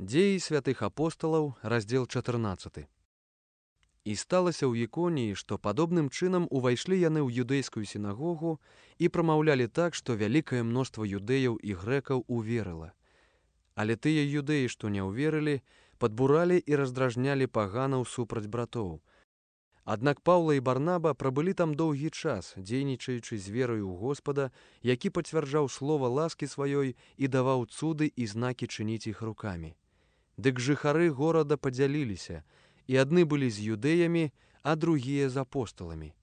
Дзеі святых апосталаў, раздзел 14. І сталася ў Іконіі, што падобным чынам увайшлі яны ў юдэйскую сінагогу і прамаўлялі так, што вялікае мноства юдэяў і грэкаў уверыла. Але тыя юдэі, што не ўверылі, падбуралі і раздражнялі паганаў супраць братоў. Аднак Паўла і Барнаба прабылі там доўгі час, дзейнічаючы з верою ў Господа, які пацвярджаў слова ласкі сваёй і даваў цуды і знакі чыніць іх рукамі. Дык жыхары горада падзяліліся, і адны былі з юдэямі, а другія з апосталамі.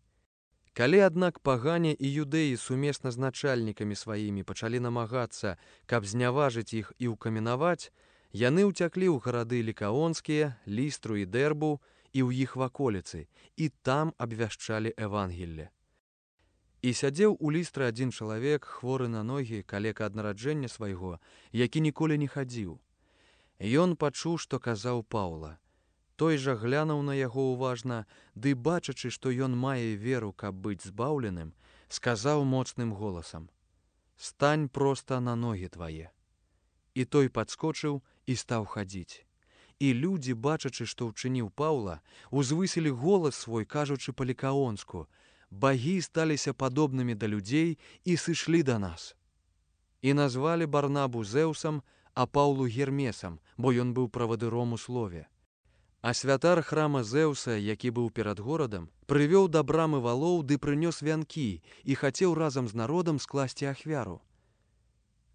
Калі, аднак, пагане і юдэі сумесна з начальнікамі сваімі пачалі намагацца, каб зняважыць іх і ўкаменаваць, яны ўцяклі ў гарады лікаонскія, Лістру і Дэрбу і ў іх ваколіцы, і там абвяшчалі Евангелле. І сядзеў у Лістры адзін чалавек, хворы на ногі, калека ад нараджэння свайго, які ніколі не хадзіў. Ён пачуў, што казаў Паўла. Той жа глянуў на яго уважна, ды, бачачы, што ён мае веру, каб быць збаўленым, сказаў моцным голасам: «Стань проста на ногі твае». І той падскочыў і стаў хадзіць. І людзі, бачачы, што ўчыніў Паўла, узвысілі голас свой, кажучы па-лікаонску: «Багі сталіся падобнымі да людзей і сышлі да нас». І назвалі Барнабу Зеўсам, а Паўлу Гермесам, бо ён быў правадыром у слове. А святар храма Зеўса, які быў перад горадам, прывёў да брамы валоў ды прынёс вянкі і хацеў разам з народам скласці ахвяру.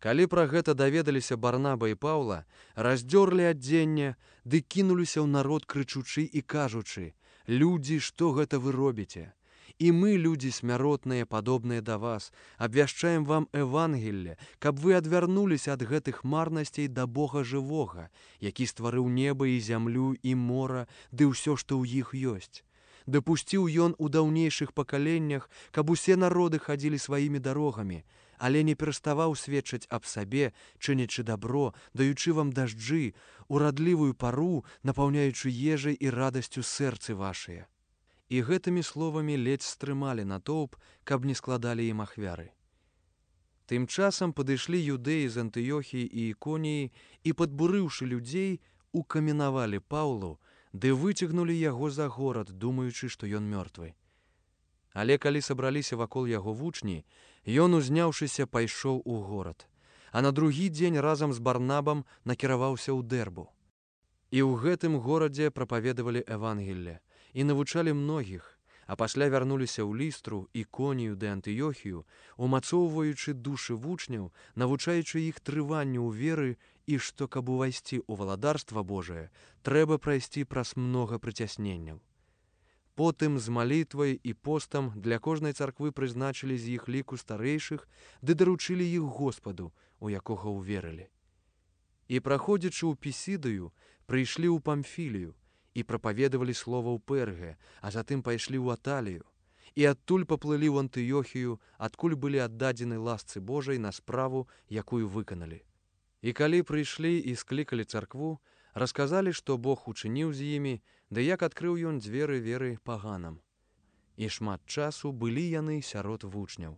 Калі пра гэта даведаліся Барнаба і Паўла, раздзёрлі адзенне ды кінуліся ў народ, крычучы і кажучы: «Людзі, што гэта вы робіце? І мы, людзі смяротныя, падобныя да вас, абвяшчаем вам Евангелле, каб вы адвярнуліся ад гэтых марнасцей да Бога жывога, які стварыў неба і зямлю і мора, ды ўсё, што ў іх ёсць. Дапусціў ён у даўнейшых пакаленнях, каб усе народы хадзілі сваімі дарогамі, але не пераставаў сведчыць аб сабе, чынячы дабро, даючы вам дажджы, урадлівую пару, напаўняючы ежай і радасцю сэрцы вашыя». І гэтымі словамі ледзь стрымалі натоўп, каб не складалі ім ахвяры. Тым часам падышлі юдэі з Антыёхіі і Іконіі і, падбурыўшы людзей, укаменавалі Паўлу, ды выцягнулі яго за горад, думаючы, што ён мёртвы. Але калі сабраліся вакол яго вучні, ён, узняўшыся, пайшоў у горад, а на другі дзень разам з Барнабам накіраваўся ў Дэрбу. І ў гэтым горадзе прапаведавалі Евангелле і навучалі многіх, а пасля вярнуліся ў Лістру, Іконію ды Антыёхію, умацоўваючы душы вучняў, навучаючы іх трыванню ў веры і што, каб увайсці ў валадарства Божае, трэба прайсці праз многа прыцясненняў. Потым з малітвай і постам для кожнай царквы прызначылі з іх ліку старэйшых ды даручылі іх Господу, у якога ўверылі. І, праходзячы ў Пісідыю, прыйшлі ў Памфілію і прапаведавалі слова ў Перге, а затым пайшлі ў Аталію, і адтуль паплылі ў Антыёхію, адкуль былі аддадзены ласцы Божай на справу, якую выканалі. І калі прыйшлі і склікалі царкву, расказалі, што Бог учыніў з імі, ды як адкрыў ён дзверы веры паганам. І шмат часу былі яны сярод вучняў.